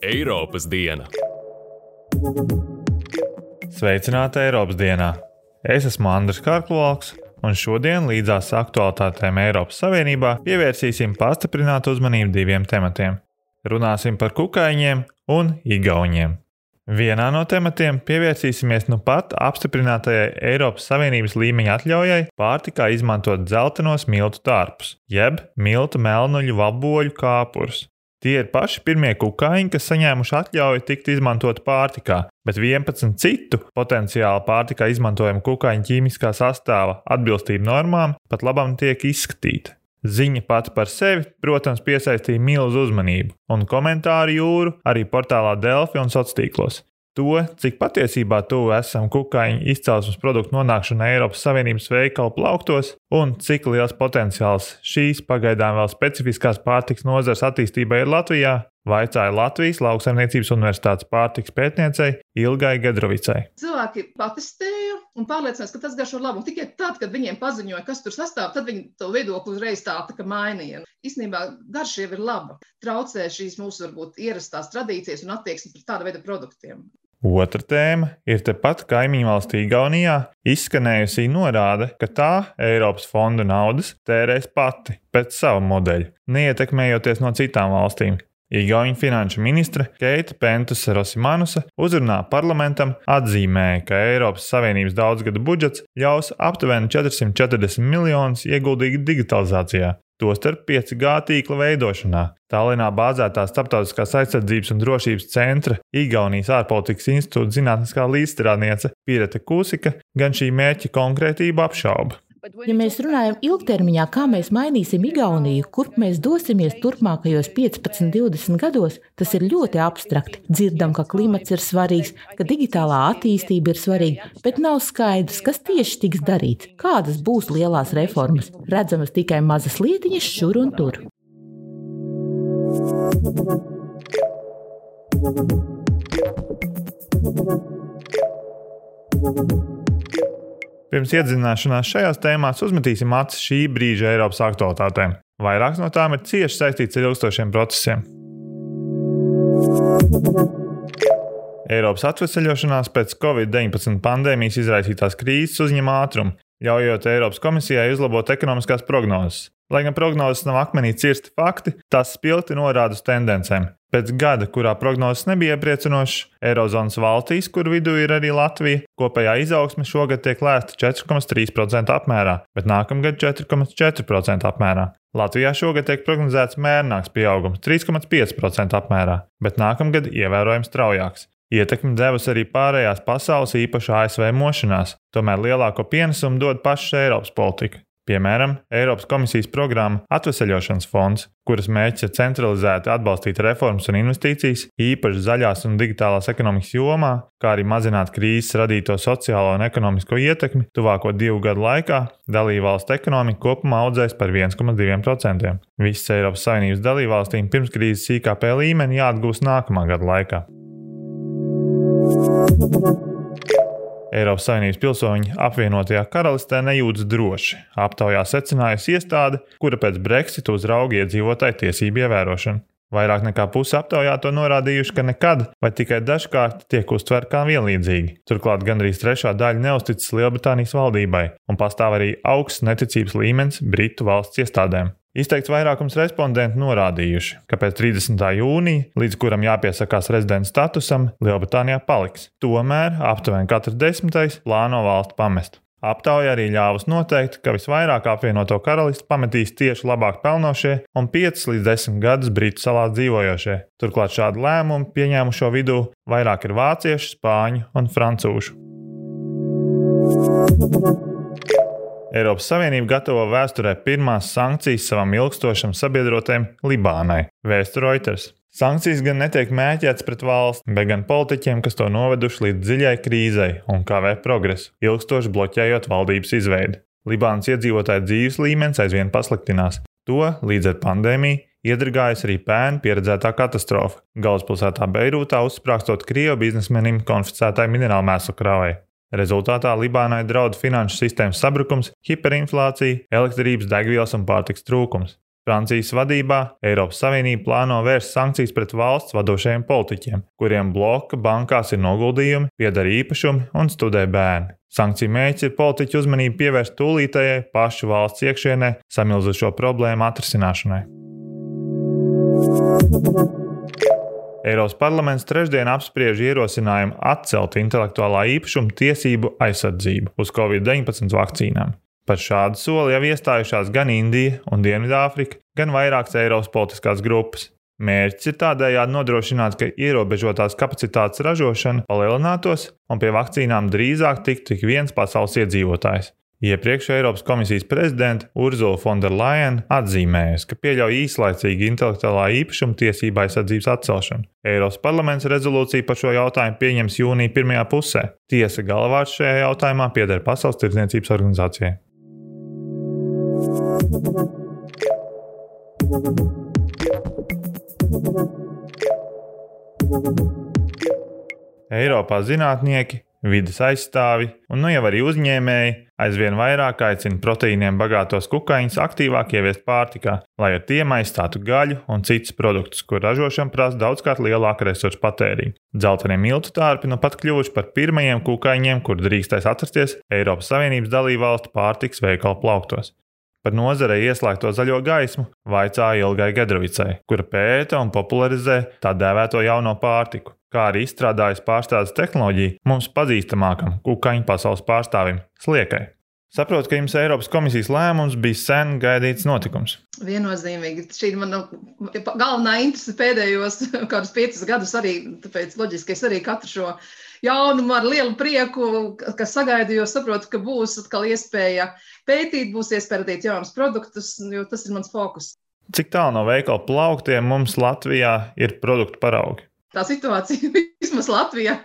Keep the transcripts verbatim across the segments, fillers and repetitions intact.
Eiropas diena. Sveicināti Eiropas dienā! Es esmu Andris Karklovs, un šodien līdzās aktualitātēm Eiropas Savienībā pievērsīsim pastiprinātu uzmanību diviem tematiem. Runāsim par kukaiņiem un igauņiem. Vienā no tematiem pievērsīsimies nu pat apstiprinātajai Eiropas Savienības līmeņa atļaujai pārtikā izmantot dzeltenos miltu tārpus, jeb miltu melnuļu vaboļu kāpurus. Tie ir paši pirmie kukaiņi, kas saņēmuši atļauju tikt izmantot pārtikā, bet vienpadsmit citu potenciāli pārtikā izmantojamu kukaiņu ķīmiskā sastāva atbilstība normām pat labam tiek izskatīta. Ziņa pati par sevi, protams, piesaistīja milzu uzmanību, un komentāru jūru arī portālā Delfi un sociālos tīklos. To, cik patiesībā tuvu esam kukaiņu izcelsmes produktu nonākšanai Eiropas Savienības veikalu plauktos, un cik liels potenciāls šīs pagaidām vēl specifiskās pārtikas nozares attīstībai ir Latvijā, vaicāja Latvijas Lauksaimniecības Universitātes pārtikas pētniecei Ilgai Gedrovicai. Cilvēki patestēja un pārliecinās, ka tas garšo labi. Un tikai tad, kad viņiem paziņoja, kas tur sastāv, tad viņi to viedokli uzreiz tā, tā kā mainīja. Īstenībā garša jau ir laba. Traucē šīs mūsu varbūt ierastās tradīcijas un attieksmi pret tāda veida produktiem. Otra tēma ir tepat kaimiņu valstī Igaunijā izskanējusī norāde, ka tā Eiropas fondu naudas tērēs pati pēc sava modeļa, neietekmējoties no citām valstīm. Igauņu finanšu ministre Keita Pentus-Rosimanusa uzrunā parlamentam atzīmēja, ka Eiropas Savienības daudzgadu budžets ļaus aptuveni četrsimt četrdesmit miljonus ieguldīt digitalizācijā, tostarp pieci G tīkla veidošanā. Tallinā bāzētā Starptautiskās aizsardzības un drošības centra Igaunijas ārpolitikas institūta zinātniskā līdzstrādniece Pirete Kusika gan šī mērķa konkrētību apšauba. Ja mēs runājam ilgtermiņā, kā mēs mainīsim Igauniju, kurp mēs dosimies turpmākajos piecpadsmit divdesmit gados, tas ir ļoti abstrakti. Dzirdam, ka klimats ir svarīgs, ka digitālā attīstība ir svarīga, bet nav skaidrs, kas tieši tiks darīts, kādas būs lielās reformas. Redzamas tikai mazas lietiņas šur un tur. Pirms iedzināšanās šajās tēmās uzmetīsim acis šī brīža Eiropas aktualitātēm. Vairākas no tām ir cieši saistītas ar ilgstošiem procesiem. Eiropas atveseļošanās pēc covid deviņpadsmit pandēmijas izraisītās krīzes uzņem ātrumu, ļaujot Eiropas komisijai uzlabot ekonomiskās prognozes. Lai gan prognozes nav akmenī cirsti fakti, tās spilgti norāda uz tendencēm. Pēc gada, kurā prognozes nebija iepriecinošas, Eirozonas valstīs, kur vidū ir arī Latvija, kopējā izaugsme šogad tiek lēsta četri komats trīs procenti apmērā, bet nākamgad četri komats četri procenti apmērā. Latvijā šogad tiek prognozēts mērnāks pieaugums trīs komats pieci procenti apmērā, bet nākamgad ievērojami straujāks. Ietekmi devusi arī pārējās pasaules, īpaši A S V mošanās, tomēr lielāko pienesumu dod paša Eiropas politika. Piemēram, Eiropas komisijas programma Atveseļošanas fonds, kuras mērķis ir centralizēti atbalstīt reformas un investīcijas, īpaši zaļās un digitālās ekonomikas jomā, kā arī mazināt krīzes radīto sociālo un ekonomisko ietekmi, tuvāko divu gadu laikā dalībvalstu ekonomika kopumā audzēs par viens komats divi procenti. Visas Eiropas Savienības dalībvalstīm pirms krīzes I K P līmeni jāatgūst nākamā gada laikā. Eiropas Savienības pilsoņi apvienotajā karalistē nejūtas droši. Aptaujā secinājusi iestāde, kura pēc Brexita uzrauga iedzīvotāju tiesību ievērošanu. Vairāk nekā puse aptaujā to norādījuši, ka nekad vai tikai dažkārt tiek uztverti kā vienlīdzīgi. Turklāt gandrīz trešā daļa neuzticas Lielbritānijas valdībai, un pastāv arī augsts neticības līmenis Britu valsts iestādēm. Izteikts vairākums respondentu norādījuši, ka pēc trīsdesmitā jūnija, līdz kuram jāpiesakās rezidenta statusam, Lielbritānijā paliks. Tomēr aptuveni katrs desmitais plāno valsti pamest. Aptauja arī ļāvus noteikt, ka visvairāk apvienoto karalisti pametīs tieši labāk pelnošie un piecus līdz desmit gadus Britu salās dzīvojošie. Turklāt šādu lēmumu pieņēmušo vidū vairāk ir vāciešu, spāņu un francūžu. Eiropas Savienība gatavo vēsturē pirmās sankcijas savam ilgstošam sabiedrotajam Libānai, vēsta Reuters. Sankcijas gan netiek mērķētas pret valsti, bet gan politiķiem, kas to noveduši līdz dziļai krīzei un kavē progresu, ilgstoši bloķējot valdības izveidi. Libānas iedzīvotāju dzīves līmenis aizvien pasliktinās. To līdz ar pandēmiju iedragājas arī pērn pieredzētā katastrofa, galvaspilsētā Beirūtā uzsprāgstot Krievu biznesmenim konfiscētai minerālmēslu kravai. Rezultātā Libānai draud finanšu sistēmas sabrukums, hiperinflācija, elektrības, degvielas un pārtikas trūkums. Francijas vadībā Eiropas Savienība plāno vērst sankcijas pret valsts vadošajiem politiķiem, kuriem bloka bankās ir noguldījumi, pieder īpašumi un studē bērni. Sankciju mērķis ir politiķu uzmanību pievērst tūlītējai pašu valsts iekšienē samilzušo problēmu atrisināšanai. Eiropas parlaments trešdien apspriež ierosinājumu atcelt intelektuālā īpašuma tiesību aizsardzību uz covid deviņpadsmit vakcīnām. Par šādu soli jau iestājušās gan Indija un Dienvidāfrika, gan vairākas Eiropas politiskās grupas. Mērķis ir tādējādi nodrošināt, ka ierobežotās kapacitātes ražošana palielinātos un pie vakcīnām drīzāk tiktu tik viens pasaules iedzīvotājs. Iepriekš Eiropas komisijas prezidente Ursula von der Leyen atzīmējusi, ka pieļauj īslaicīgi intelektuālā īpašuma tiesību aizsardzības atcelšanu. Eiropas parlaments rezolūciju par šo jautājumu pieņems jūnija pirmajā pusē. Tiesa galvārds šajā jautājumā pieder Pasaules tirdzniecības organizācijai. Eiropā zinātnieki, vides aizstāvi un nu jau arī uzņēmēji aizvien vairāk aicina proteīniem bagātos kukaiņus aktīvāk ieviest pārtikā, lai ar tiem aizstātu gaļu un citus produktus, kur ražošana prasa daudzkārt lielāku resursu patēriņu. Dzeltenie miltu tārpi nu pat kļuvuši par pirmajiem kukaiņiem, kur drīkstēs atrasties Eiropas Savienības dalībvalstu pārtikas veikalu plauktos. Par nozarei ieslēgto zaļo gaismu vaicāja Ilgai Gedrovicai, kura pēta un popularizē tā dēvēto jauno pārtiku, kā arī izstrādājas pārstrādes tehnoloģiju mums pazīstamākam kukaiņu pasaules pārstāvim Sliekai. Saprotu, ka jums Eiropas komisijas lēmums bija sen gaidīts notikums. Viennozīmīgi. Šī ir mana galvenā interese pēdējos kādus piecus gadus arī, tāpēc loģiski es arī katru šo jaunumu ar lielu prieku, kas sagaidu, jo saprotu, ka būs atkal iespēja pētīt, būs iespēja radīt jaunus produktus, jo tas ir mans fokus. Cik tālu no veikala plauktiem mums Latvijā ir produktu paraugi? Tā situācija vismaz Latvijā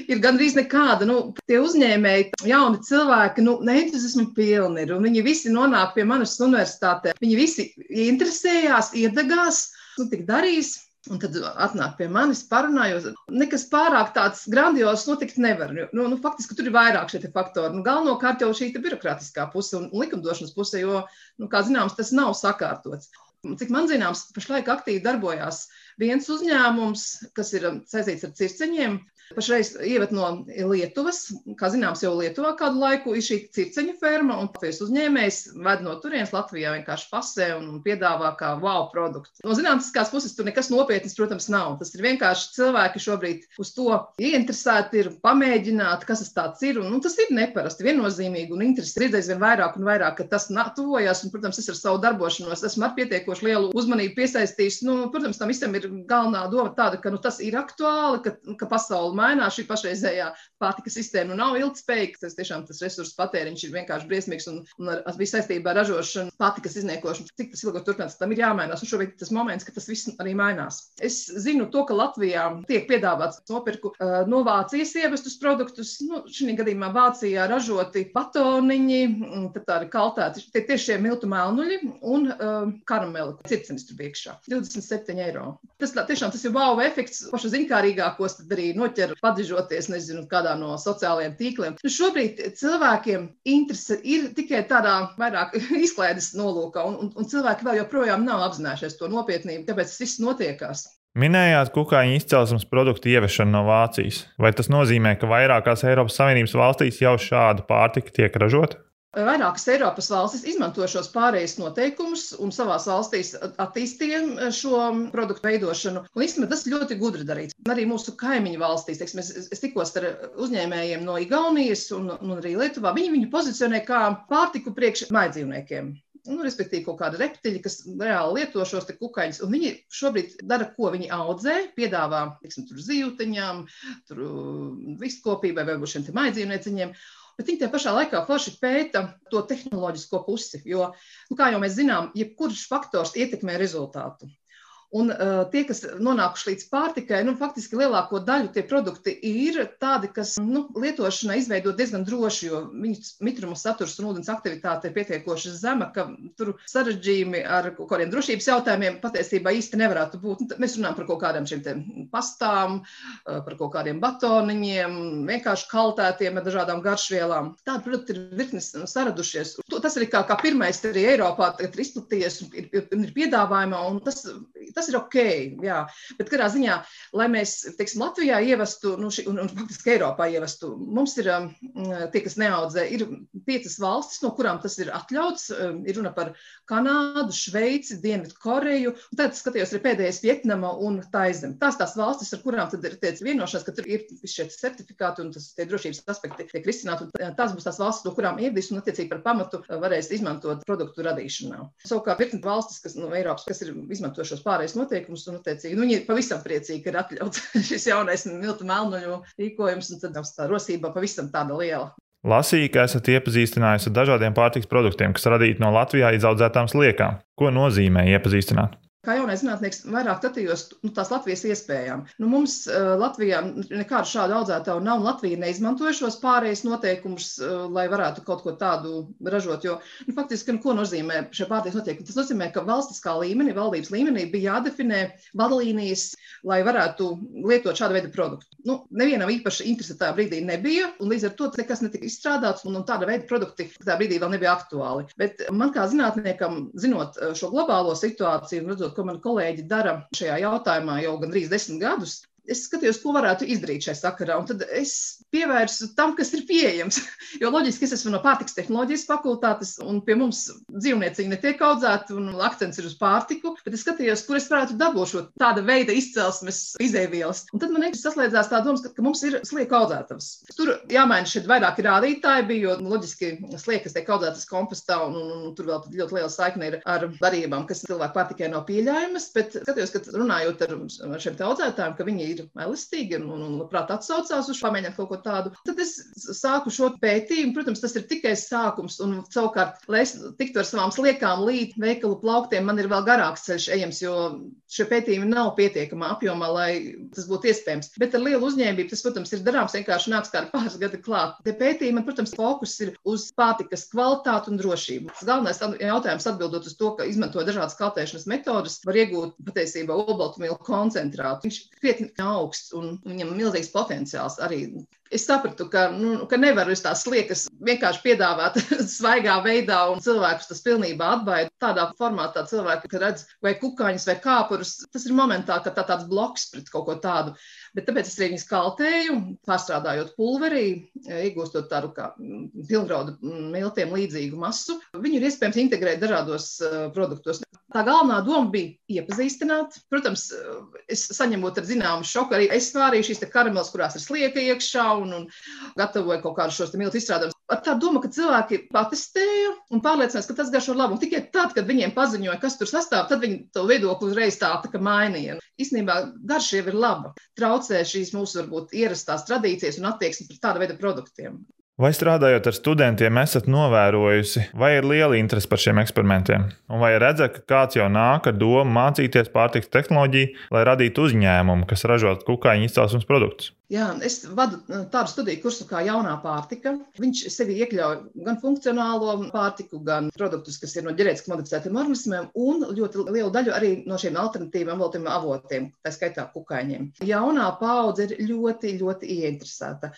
ir gandrīz nekāda. Nu, tie uzņēmēji, jauni cilvēki, nu, entuziasma pilni ir, un viņi visi nonāk pie manas universitātē. Viņi visi interesējās, iedegās, nu, tik darīs. Un tad atnāk pie manis, parunājot. Nekas pārāk tāds grandios notikt nevar. Nu, nu, faktiski tur ir vairāk šie faktori. Nu, galvenokārt jau šī birokrātiskā puse un likumdošanas puse, jo, nu, kā zināms, tas nav sakārtots. Cik man zināms, pašlaik aktīvi darbojās viens uzņēmums, kas ir saistīts ar circeņiem. Pašreiz ievad no Lietuvas, kā zināms, jau Lietuvā kādu laiku ir šī circeņu ferma, un Latvijas uzņēmējs ved no turienes Latvijā vienkārši pasē un piedāvā kā wow produktu. No zinātniskās puses tur nekas nopietnas, protams, nav. Tas ir vienkārši cilvēki šobrīd uz to ieinteresēti ir pamēģināt, kas tas tāds ir, un nu, tas ir neparasti, viennozīmīgi, un interesi redzēs vien vairāk un vairāk, ka tas tuvojas, un, protams, es ar savu darbošanos esmu ar pietiekoši lielu uzmanību piesaistījis. Nu, protams, tam visam ir galvenā doma tāda, ka nu, tas ir aktuāli, ka, ka pasauli mainās, šī pašreizējā pārtikas sistēma nu nav ilgtspējīga, tas tiešām tas resursu patēriņš ir vienkārši briesmīgs un, un ar, ar visu saistībā ar ražošanu, pārtikas izniekošanu, cik tas ilgāk turpinās, tam ir jāmainās, un šobrīd tas moments, ka tas viss arī mainās. Es zinu to, ka Latvijā tiek piedāvāts nopirku uh, no Vācijas ievestus produktus, nu, šī gadījumā Vācijā ražoti batoniņi, tad tā ir kaltēti, tie tieši šie miltu melnuļi un uh, karameli, circenis tur iekšā, divdesmit septiņi eiro. Tas tiešām tas ir wow efekts, pašu ziņkārīgākos tad arī noķer padižoties, nezinu, kādā no sociālajiem tīkliem. Nu, šobrīd cilvēkiem interese ir tikai tādā vairāk izklaides nolūkā, un, un, un cilvēki vēl joprojām nav apzinājušies to nopietnību, tāpēc tas viss notiekās. Minējāt kukaiņu izcelsmes produktu ieviešanu no Vācijas. Vai tas nozīmē, ka vairākās Eiropas Savienības valstīs jau šāda pārtika tiek ražota? Vairākas Eiropas valstis izmanto šos pārējais noteikumus un savās valstīs attīstīja šo produktu veidošanu. Un īstenībā tas ļoti gudri darīts. Arī mūsu kaimiņu valstīs, teiksim, es, es tikos ar uzņēmējiem no Igaunijas un, un arī Lietuvā, viņi viņu pozicionē kā pārtiku priekš mājdzīvniekiem. Nu, respektīvi kaut kādi reptiļi, kas reāli lieto šos te kukaiņus, un viņi šobrīd dara, ko viņi audzē, piedāvā, tiksim, tur zīvteņām, tur vistkopībai vai šiem te mājdzīvnieciņiem. Bet viņi tajā pašā laikā forši pēta to tehnoloģisko pusi, jo, nu, kā jau mēs zinām, jebkurš faktors ietekmē rezultātu. Un uh, tie, kas nonākuši līdz pārtikai, nu, faktiski lielāko daļu tie produkti ir tādi, kas nu, lietošanai izveidot diezgan droši, jo viņu mitruma saturs un ūdens aktivitāte ir pietiekoši zema, ka tur sarežģījumi ar kaut kādiem drošības jautājumiem patiesībā īsti nevarētu būt. Nu, mēs runājam par kaut kādiem šiem te pastām, par kaut kādiem batoniņiem, vienkārši kaltētiem ar dažādām garšvielām. Tādi produkti ir virknis saradušies. Tas arī kā, kā pirmais arī Eiropā ir izplatījies un ir, ir, ir piedāvājumā, un tas Tas ir ok, jā, bet kādā ziņā, lai mēs, teiksim, Latvijā ievestu, nu, ši, un, un faktiski Eiropā ievestu, mums ir um, tie, kas neaudzē, ir piecas valstis, no kurām tas ir atļauts, um, ir runa par Kanādu, Šveici, Dienvidu Koreju, un tad skatījos arī pēdējais Vietnama un Taizem. Tās tās valstis, ar kurām tad ir teic vienošanās, ka tur ir šie certifikāti un tas tie drošības aspekti tiek risināti, un tās būs tās valstis, no kurām ievedīs un attiecīgi par pamatu varēs izmantot produktu radīšanā. Savukārt virkni valstis, kas no Eiropas, kas ir izmantojušos pārējais noteikumus, un attiecīgi, nu, viņi ir pavisam priecīgi, ka ir atļauts šis jaunais miltu melnuļu rīkojums, un tad tā rosība pavisam tāda liela. Lasīju, ka esat iepazīstinājusi ar dažādiem pārtikas produktiem, kas radīti no Latvijā izaudzētām sliekām. Ko nozīmē iepazīstināt? Kā jaunais zinātnieks vairāk skatījos nu, tās Latvijas iespējām. Nu, mums uh, Latvijā nekādu šādu audzētāju nav, un Latvija neizmantoja šos pārējais noteikumus, uh, lai varētu kaut ko tādu ražot, jo nu, faktiski, nu, ko nozīmē šie pārējais noteikumi? Tas nozīmē, ka valstiskā līmenī, valdības līmenī bija jādefinē vadlīnijas, lai varētu lietot šādu veidu produktu. Nu, nevienam īpaši interesi tajā brīdī nebija, un līdz ar to nekas netika izstrādāts, un, un tāda veida produkti tajā brīdī vēl nebija aktuāli. Bet man kā zinātniekam, zinot šo globālo situāciju un redzot, ko mani kolēģi dara šajā jautājumā jau gandrīz desmit gadus, es skatījos, ko varētu izdarīt šajā sakarā, un tad es pievērsu tam, kas ir pieejams. Jo loģiski, es esmu no pārtikas tehnoloģijas fakultātes, un pie mums dzīvnieciņi netiek audzēti, un akcents ir uz pārtiku, bet es skatījos, kur es varētu dabūt šo tāda veida izcelsmes izēvielas. Un tad man vienkārši saslēdzās tā domas, ka, ka mums ir slieku audzētavas. Tur jāmaina šeit vairāki rādītāji bija, jo loģiski sliekas tiek audzētas kompostā, un, un, un tur vēl ļoti liela saikne ir ar barībām, kas cilvēku pārtikai nav pieļaujamas, bet skatījos, ka runājot ar šiem te audzētājiem, ka viņi ir elastīgi un, un labprāt atsaucās uz pamēģināt kaut ko tādu. Tad es sāku šo pētījumu, protams, tas ir tikai sākums, un savukārt, lai es tiktu ar savām sliekām līdz veikalu plauktiem, man ir vēl garāks ceļš ejams, jo šie pētījumi nav pietiekamā apjomā, lai tas būtu iespējams. Bet ar lielu uzņēmību tas, protams, ir darāms, vienkārši nāks kādi pāris gadi klāt. Te pētījumi, protams, fokus ir uz pārtikas kvalitāti un drošību. Tas galvenais jautājums atbildot uz to, ka izmanto dažādas kaltēšanas metodas, var iegūt patiesībā olbaltumvielu koncentrātu. Viņš krietni augsts un viņam milzīgs potenciāls arī. Es sapratu, ka, nu, ka nevaru uz tās sliekas vienkārši piedāvāt svaigā veidā un cilvēkus tas pilnībā atbaida. Tādā formātā cilvēki, kad redz vai kukaiņus vai kāpurus, tas ir momentā, ka tā tāds bloks pret kaut ko tādu. Bet tāpēc es arī viņus kaltēju, pārstrādājot pulverī, iegūstot tādu kā pilngraudu miltiem līdzīgu masu. Viņu ir iespējams integrēt dažādos uh, produktos. Tā galvenā doma bija iepazīstināt. Protams, es saņemot ar zināmu šoku, arī es vārīju šīs te karameles, kurās ir slieka iekšā un, un gatavoju kaut kādus šos te miltu izstrādājumus. Ar tā doma, ka cilvēki patestēja un pārliecinās, ka tas garšo labi. Un tikai tad, kad viņiem paziņoja, kas tur sastāv, tad viņi to viedokli uzreiz tā, tā kā mainīja. Īstenībā garša jau ir laba. Traucē šīs mūsu varbūt ierastās tradīcijas un attieksmi pret tāda veida produktiem. Vai strādājot ar studentiem, esat novērojusi, vai ir liela interese par šiem eksperimentiem? Un vai redzat, ka kāds jau nāk ar domu mācīties pārtikas tehnoloģiju, lai radītu uzņēmumu, kas ražot kukaiņu izcelsmes produktus? Jā, es vadu tādu studiju kursu kā jaunā pārtika. Viņš sevi iekļauj gan funkcionālo pārtiku, gan produktus, kas ir no ģenētiski modificētiem organismiem, un ļoti lielu daļu arī no šiem alternatīviem veltiem avotiem, tā skaitā kukaiņiem. Jaunā paudze ir ļoti, ļoti ieinteresēta.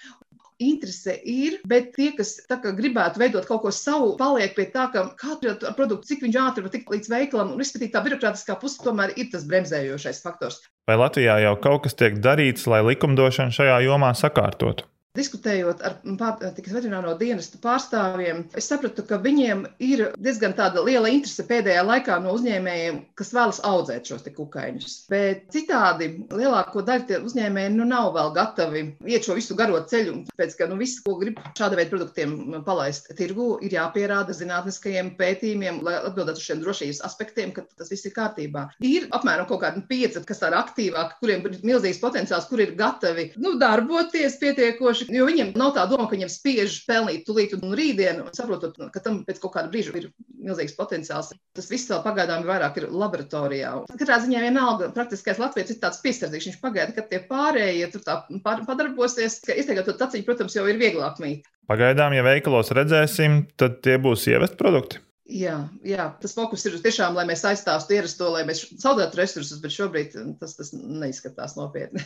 Interese ir, bet tie, kas tā kā gribētu veidot kaut ko savu, paliek pie tā, ka katru produktu, cik viņš ātri var tikt līdz veikalam, un izskatīt tā birokrātiskā puse tomēr ir tas bremzējošais faktors. Vai Latvijā jau kaut kas tiek darīts, lai likumdošanu šajā jomā sakārtotu? Diskutējot ar pārtikas veterināro dienestu pārstāvjiem, es sapratu, ka viņiem ir diezgan tāda liela interese pēdējā laikā no uzņēmējiem, kas vēlas audzēt šos te kukaiņus. Bet citādi lielāko daļu tie uzņēmēji nu nav vēl gatavi iet šo visu garo ceļu, pēc ka nu viss, ko grib šāda veida produktiem palaist tirgu, ir jāpierāda zinātniskajiem pētījumiem, lai atbildētu uz šiem drošības aspektiem, ka tas viss ir kārtībā. Ir apmēram kaut kādi pieci, kas tādi aktīvāki, kuriem ir milzīgs potenciāls, kur ir gatavi nu, darboties pietiekoši, jo viņiem nav tā doma, ka viņiem spiež pelnīt tulīt un rītdienu, saprotot, ka tam pēc kaut kāda brīža ir milzīgs potenciāls. Tas viss vēl pagaidām vairāk ir laboratorijā. Katrā ziņā vienalga praktiskais latviečs ir tāds piesardzīgs, viņš pagaida, kad tie pārējie tur tā padarbosies, ka izteikot to taciņu, protams, jau ir vieglāk mīt. Pagaidām, ja veikalos redzēsim, tad tie būs ievest produkti. Jā, jā, tas fokus ir tiešām, lai mēs aizstāstu ierasto, lai mēs zaudētu resursus, bet šobrīd tas, tas neizskatās nopietni.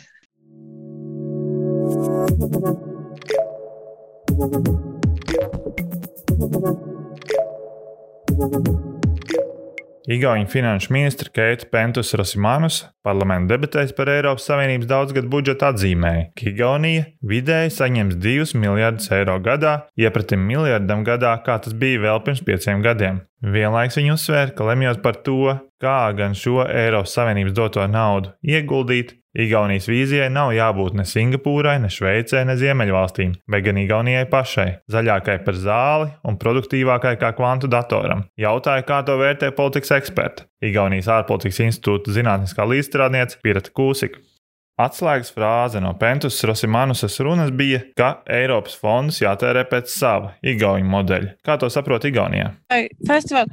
Igauņu finanšu ministre Keita Pentus-Rosimānus parlamenta debatēs par Eiropas Savienības daudzgadu budžetu atzīmēja, ka Igaunija vidēji saņems divus miljardus eiro gadā, iepratim miljardam gadā, kā tas bija vēl pirms pieciem gadiem. Vienlaiks viņi uzsvēra, ka lemjot par to, kā gan šo Eiropas Savienības doto naudu ieguldīt, Igaunijas vīzijai nav jābūt ne Singapūrai, ne Šveicē, ne Ziemeļvalstīm, bet gan Igaunijai pašai, zaļākai par zāli un produktīvākai kā kvantu datoram. Jautāja, kā to vērtē politikas eksperti. Igaunijas ārpolitikas institūta zinātniskā līdzstrādniece Pirta Kūsika. Atslēgas frāze no Pentus-Rosimānusas runas bija, ka Eiropas fondus jātērē pēc sava Igauņu modeļa. Kā to saprot Igaunijā? Festival.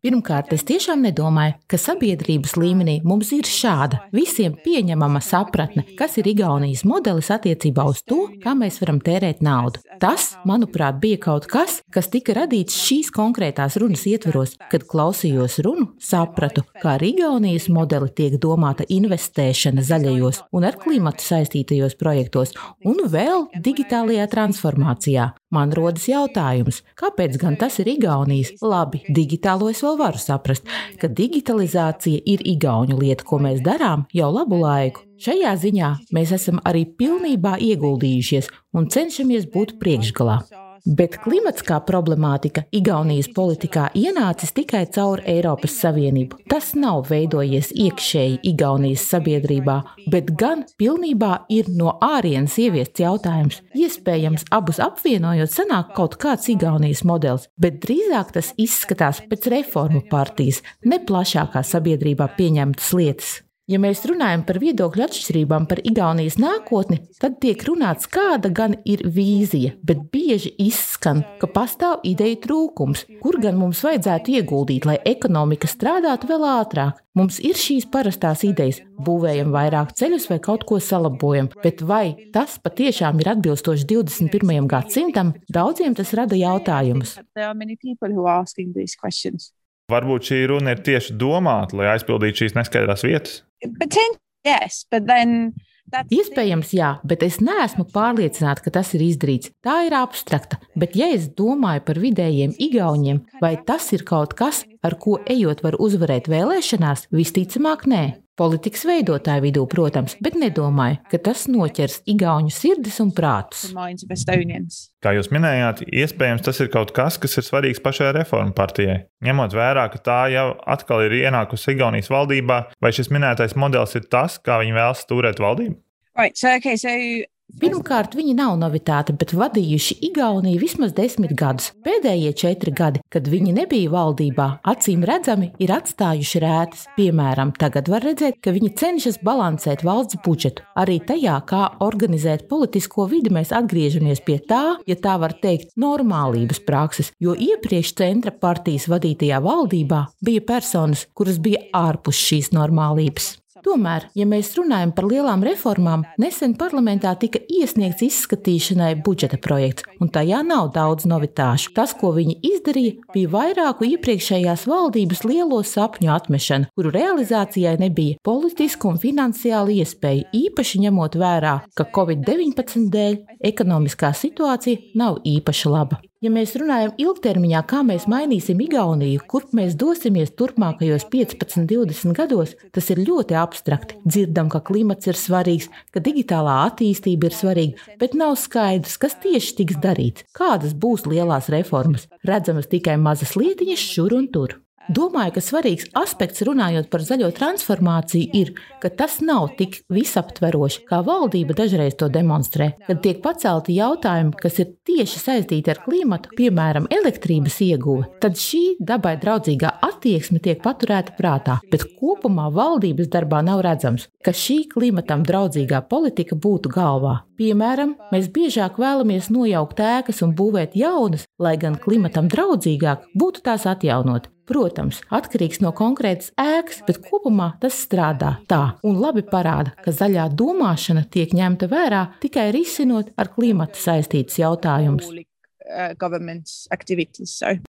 Pirmkārt, es tiešām nedomāju, ka sabiedrības līmenī mums ir šāda visiem pieņemama sapratne, kas ir Igaunijas modelis attiecībā uz to, kā mēs varam tērēt naudu. Tas, manuprāt, bija kaut kas, kas tika radīts šīs konkrētās runas ietveros. Kad klausījos runu, sapratu, kā ar Igaunijas modeli tiek domāta investēšana zaļajos un ar klimatu saistītajos projektos un vēl digitālajā transformācijā. Man rodas jautājums, kāpēc gan tas ir Igaunijas? Labi, digitālo es vēl varu saprast, ka digitalizācija ir igauņu lieta, ko mēs darām jau labu laiku. Šajā ziņā mēs esam arī pilnībā ieguldījušies un cenšamies būt priekšgalā. Bet klimats kā problemātika Igaunijas politikā ienācis tikai caur Eiropas Savienību. Tas nav veidojies iekšēji Igaunijas sabiedrībā, bet gan pilnībā ir no ārienes ieviests jautājums. Iespējams, abus apvienojot sanāk kaut kāds Igaunijas modelis, bet drīzāk tas izskatās pēc reformu partijas, ne plašākā sabiedrībā pieņemtas lietas. Ja mēs runājam par viedokļu atšķirībām par Igaunijas nākotni, tad tiek runāts, kāda gan ir vīzija, bet bieži izskan, ka pastāv ideju trūkums, kur gan mums vajadzētu ieguldīt, lai ekonomika strādātu vēl ātrāk. Mums ir šīs parastās idejas, būvējam vairāk ceļus vai kaut ko salabojam, bet vai tas patiešām ir atbilstoši divdesmit pirmajam gadsimtam, daudziem tas rada jautājumus. Varbūt šī runa ir tieši domāta, lai aizpildītu šīs neskaidrās vietas? Yes, but then Iespējams, jā, bet es neesmu pārliecināta, ka tas ir izdarīts. Tā ir abstrakta, bet ja es domāju par vidējiem igauņiem, vai tas ir kaut kas, ar ko ejot var uzvarēt vēlēšanās, visticamāk nē. Politikas veidotāju vidū, protams, bet nedomāju, ka tas noķers igauņu sirdis un prātus. Kā jūs minējāt, iespējams tas ir kaut kas, kas ir svarīgs pašai reformu partijai. Ņemot vērā, ka tā jau atkal ir ienākusi Igaunijas valdībā, vai šis minētais modelis ir tas, kā viņi vēlas stūrēt valdību? Right, so, okay, so... Pirmkārt, viņi nav novitāti, bet vadījuši Igauniju vismaz desmit gadus. Pēdējie četri gadi, kad viņi nebija valdībā, acīm redzami ir atstājuši rētas. Piemēram, tagad var redzēt, ka viņi cenšas balansēt valsts budžetu. Arī tajā, kā organizēt politisko vidi, mēs atgriežamies pie tā, ja tā var teikt, normālības prakses, jo iepriekš centra partijas vadītajā valdībā bija personas, kuras bija ārpus šīs normālības. Tomēr, ja mēs runājam par lielām reformām, nesen parlamentā tika iesniegts izskatīšanai budžeta projekts, un tajā nav daudz novitāšu. Tas, ko viņi izdarīja, bija vairāku iepriekšējās valdības lielo sapņu atmešana, kuru realizācijai nebija politisku un finansiālu iespēju, īpaši ņemot vērā, ka covid deviņpadsmit dēļ ekonomiskā situācija nav īpaši laba. Ja mēs runājam ilgtermiņā, kā mēs mainīsim Igauniju, kurp mēs dosimies turpmākajos piecpadsmit divdesmit gados, tas ir ļoti abstrakti. Dzirdam, ka klimats ir svarīgs, ka digitālā attīstība ir svarīga, bet nav skaidrs, kas tieši tiks darīts, kādas būs lielās reformas. Redzamas tikai mazas lietiņas šur un tur. Domāju, ka svarīgs aspekts runājot par zaļo transformāciju ir, ka tas nav tik visaptveroši, kā valdība dažreiz to demonstrē. Kad tiek pacelti jautājumi, kas ir tieši saistīti ar klimatu, piemēram, elektrības ieguve, tad šī dabai draudzīgā attieksme tiek paturēta prātā, bet kopumā valdības darbā nav redzams, ka šī klimatam draudzīgā politika būtu galvā. Piemēram, mēs biežāk vēlamies nojaukt ēkas un būvēt jaunas, lai gan klimatam draudzīgāk būtu tās atjaunot. Protams, atkarīgs no konkrētas ēkas, bet kopumā tas strādā tā un labi parāda, ka zaļā domāšana tiek ņemta vērā tikai risinot ar klimatu saistītus jautājumus.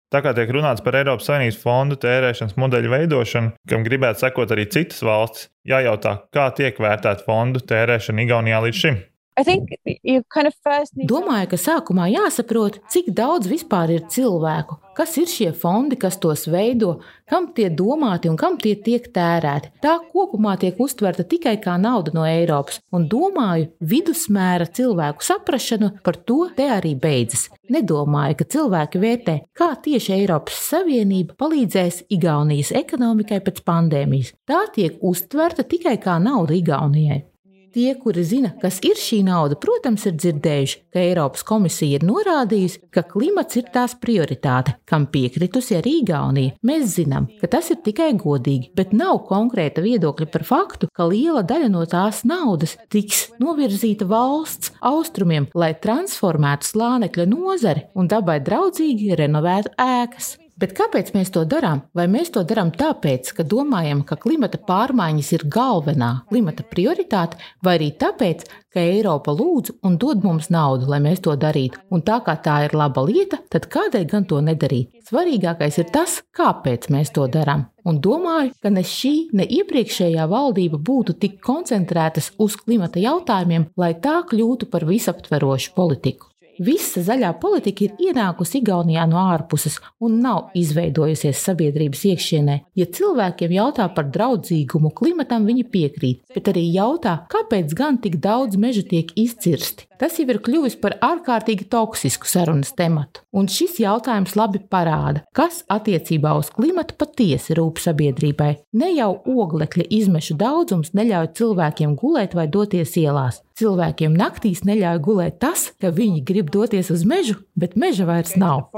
Tā kā tiek runāts par Eiropas Savienības fondu tērēšanas modeļu veidošanu, kam gribētu sekot arī citas valstis, jājautā, kā tiek vērtēta fondu tērēšana Igaunijā līdz šim. Kind of need... Domāju, ka sākumā jāsaprot, cik daudz vispār ir cilvēku, kas ir šie fondi, kas tos veido, kam tie domāti un kam tie tiek tērēti. Tā kopumā tiek uztverta tikai kā nauda no Eiropas, un domāju, vidusmēra cilvēku saprašanu par to te arī beidzas. Nedomāju, ka cilvēki vērtē, kā tieši Eiropas Savienība palīdzēs Igaunijas ekonomikai pēc pandēmijas. Tā tiek uztverta tikai kā nauda Igaunijai. Tie, kuri zina, kas ir šī nauda, protams, ir dzirdējuši, ka Eiropas komisija ir norādījusi, ka klimats ir tās prioritāte, kam piekritusi arī Igaunija. Mēs zinām, ka tas ir tikai godīgi, bet nav konkrēta viedokļa par faktu, ka liela daļa no tās naudas tiks novirzīta valsts austrumiem, lai transformētu slānekļa nozari un dabai draudzīgi renovētu ēkas. Bet kāpēc mēs to darām? Vai mēs to darām tāpēc, ka domājam, ka klimata pārmaiņas ir galvenā klimata prioritāte, vai arī tāpēc, ka Eiropa lūdz un dod mums naudu, lai mēs to darītu? Un tā kā tā ir laba lieta, tad kādēļ gan to nedarīt? Svarīgākais ir tas, kāpēc mēs to darām. Un domāju, ka ne šī, ne iepriekšējā valdība būtu tik koncentrētas uz klimata jautājumiem, lai tā kļūtu par visaptverošu politiku. Visa zaļā politika ir ienākusi Igaunijā no ārpuses un nav izveidojusies sabiedrības iekšienē. Ja cilvēkiem jautā par draudzīgumu klimatam, viņi piekrīt, bet arī jautā, kāpēc gan tik daudz meža tiek izcirsti. Tas jau ir kļuvis par ārkārtīgi toksisku sarunas tematu. Un šis jautājums labi parāda, kas attiecībā uz klimatu patiesi rūp sabiedrībai. Ne jau oglekļa izmešu daudzums neļauj cilvēkiem gulēt vai doties ielās. Cilvēkiem naktīs neļauj gulēt tas, ka viņi grib doties uz mežu, bet meža vairs nav.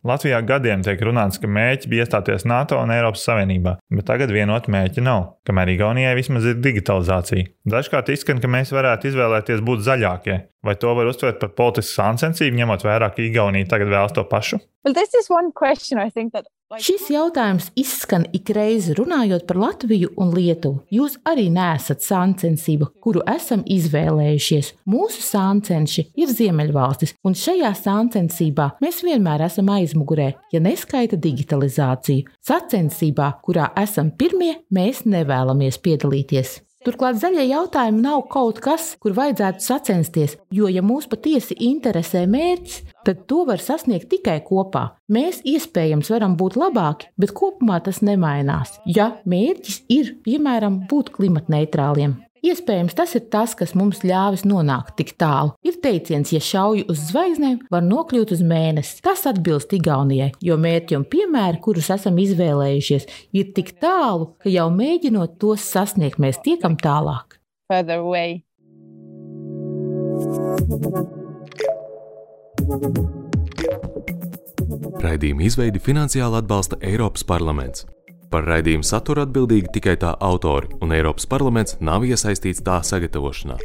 Latvijā gadiem tiek runāts, ka mērķi bija iestāties NATO un Eiropas Savienībā, bet tagad vienot mērķi nav, kamēr Igaunijai vismaz ir digitalizācija. Dažkārt izskan, ka mēs varētu izvēlēties būt zaļākie. Vai to var uztvert par politisku sāncensību, ņemot vērā, ka Igaunija tagad vēlas to pašu? Well, this is one question, I think that... Šis jautājums izskan ikreiz runājot par Latviju un Lietuvu. Jūs arī neesat sāncensība, kuru esam izvēlējušies. Mūsu sāncenši ir Ziemeļvalstis, un šajā sāncensībā mēs vienmēr esam aizmugurē, ja neskaita digitalizāciju. Sacensībā, kurā esam pirmie, mēs nevēlamies piedalīties. Turklāt zaļie jautājumi nav kaut kas, kur vajadzētu sacensties, jo, ja mūs patiesi interesē mērķis, tad to var sasniegt tikai kopā. Mēs iespējams varam būt labāki, bet kopumā tas nemainās, ja mērķis ir, piemēram, būt klimatneitrāliem. Iespējams, tas ir tas, kas mums ļāvis nonākt tik tālu. Ir teiciens, ja šauj uz zvaigznēm, var nokļūt uz mēnesi. Tas atbilst Igaunijai, jo mērķi un piemēri, kurus esam izvēlējušies, ir tik tālu, ka jau mēģinot tos sasniegt, mēs tiekam tālāk. Further away. Raidījuma izveidi finansiāli atbalsta Eiropas parlaments. Par raidījumu saturu atbildīgi tikai tā autori, un Eiropas parlaments nav iesaistīts tā sagatavošanā.